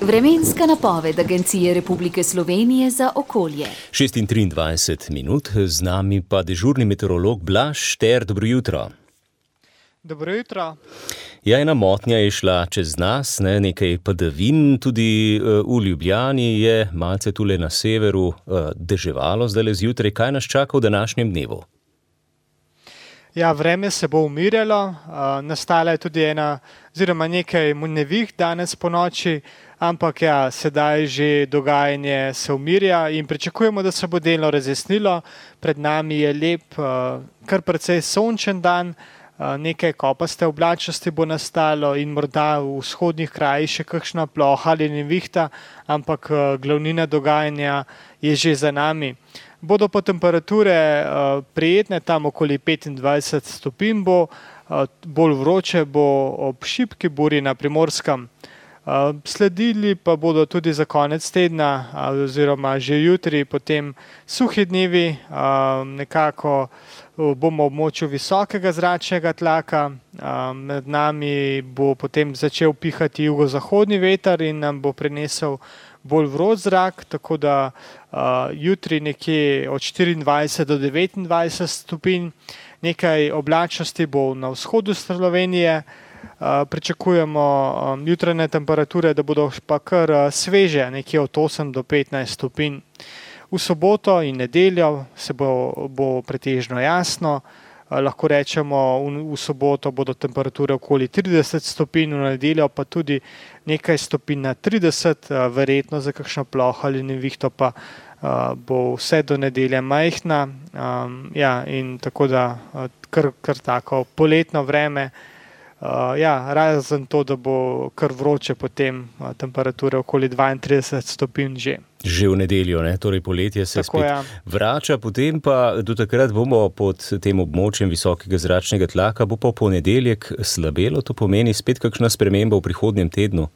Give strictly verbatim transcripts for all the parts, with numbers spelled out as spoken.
Vremenska napoved Agencije Republike Slovenije za okolje. šest in triindvajset minut, z nami pa dežurni meteorolog Blaž Šter. Dobro jutro. Dobro jutro. Ja, ena motnja je šla čez nas, ne, nekaj padavin, tudi uh, v Ljubljani je malce tule na severu uh, deževalo zdajle zjutraj. Kaj nas čaka v današnjem dnevu? Ja, vreme se bo umirjalo, uh, nastala je tudi ena, oziroma nekaj nevih danes po noči, ampak ja, sedaj že dogajanje se umirja in pričakujemo, da se bo delno razjasnilo. Pred nami je lep, uh, kar precej sončen dan, uh, nekaj kopaste oblačnosti bo nastalo in morda v vzhodnih krajih še kakšna ploha ali nevihta, ampak uh, glavnina dogajanja je že za nami. Bodo pa temperature uh, prijetne, tam okoli petindvajset stopinj bo, uh, bolj vroče bo ob šibki buri na Primorskem. Uh, sledili pa bodo tudi za konec tedna uh, oziroma že jutri potem suhi dnevi, uh, nekako uh, bomo v območju visokega zračnega tlaka, uh, med nami bo potem začel pihati jugozahodni veter in nam bo prinesel bolj vroč zrak, tako da uh, jutri nekje od štiriindvajset do devetindvajset stopinj, nekaj oblačnosti bo na vzhodu Slovenije, uh, pričakujemo um, jutranje temperature, da bodo pa kar uh, sveže, nekje od osem do petnajst stopinj. V soboto in nedeljo se bo, bo pretežno jasno, uh, lahko rečemo v, v soboto bodo temperature okoli trideset stopinj, v nedeljo pa tudi nekaj stopinj na trideset, verjetno za kakšno ploho ali nevihto pa uh, bo vse do nedelje majhna. Um, ja, in tako da uh, kar, kar tako poletno vreme. Uh, ja, razen to, da bo kar vroče potem uh, temperature okoli dvaintrideset stopinj že. Že v nedeljo, ne? Torej poletje se tako, spet ja. vrača, potem pa do takrat bomo pod tem območjem visokega zračnega tlaka, bo pa ponedeljek slabelo, to pomeni spet kakšna sprememba v prihodnjem tednu.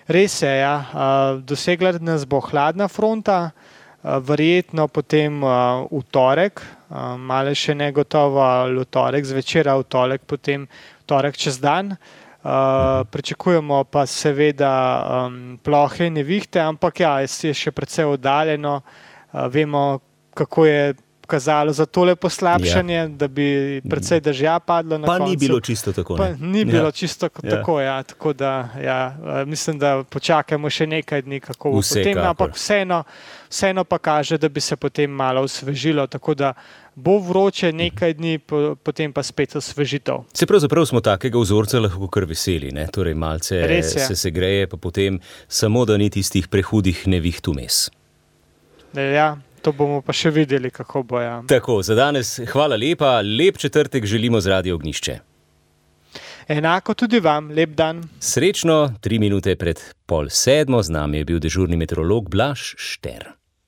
Res je, ja. Uh, dosegla nas bo hladna fronta, uh, verjetno potem uh, v torek, uh, malo še negotovo ali v torek zvečer, v torek potem v torek čez dan. Uh, pričakujemo pa seveda um, plohe in nevihte, ampak ja, je še precej oddaljeno. Uh, vemo, kako je kazalo za tole poslabšanje, ja. Da bi precej dežja padlo na pa koncu. Pa ni bilo čisto tako. Pa ni bilo ja. čisto tako, ja. Tako da, ja, mislim, da počakajmo še nekaj dni, kako bo potem, ampak vseeno, vseeno pa kaže, da bi se potem malo osvežilo, tako da bo vroče nekaj dni, potem pa spet osvežitev. Se pravzaprav smo takega vzorca lahko kar veseli, ne? Torej malce se segreje, pa potem samo, da ni tistih prehudih neviht vmes. Ja, to bomo pa še videli, kako bo. Ja. Tako, za danes hvala lepa, lep četrtek želimo z Radio Ognjišče. Enako tudi vam, lep dan. Srečno, tri minute pred pol sedmo, z nami je bil dežurni meteorolog Blaž Šter.